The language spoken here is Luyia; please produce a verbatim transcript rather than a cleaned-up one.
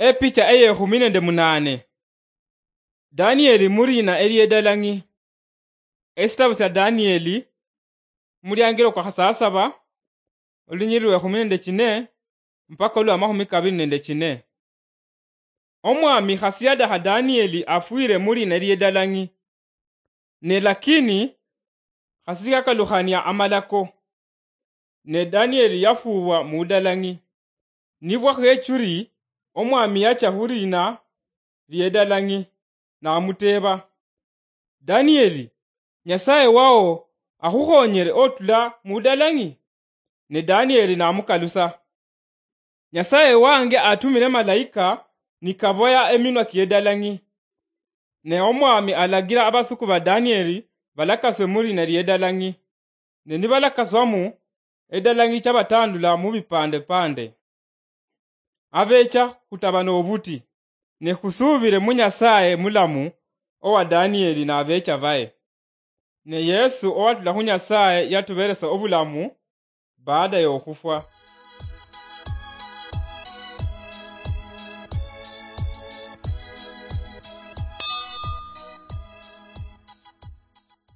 Epicha eyekhumi nende munane. Danieli murina eliedalang'i. Esitabu sya Danieli, muliangilo kwa khasasaba, olunyiriri lwekhumi nende chine mpaka olwa makhumi kabili nende chine. Omwami khasi yadakha Danieli afwire murina eliedalang'i. Ne lakini khasi sikakalukhania amalako. Ne Danieli yafuubwa mudalang'i. Nibwa khechuri, omwami yacha khurina liedalang'i, namuteeba, "Danieli, Nyasaye wao akhukhonyere otula mudalang'i?" Ne Danieli namukalusa, "Nyasaye wange atumire malaika nikaboya eminwa kiedalang'i." Ne omwami alagira abasuku ba Danieli balakaswe murina liedalang'i. Ne nibalakaswamu, edalang'i chabatandula mubipande pande. Abecha khutaba nobuti, ne khusubire mu Nyasaye mulamu owa Danieli nabecha baye. Ne Yesu owatula khu Nyasaye yatuberesa obulamu baada yokhufwa.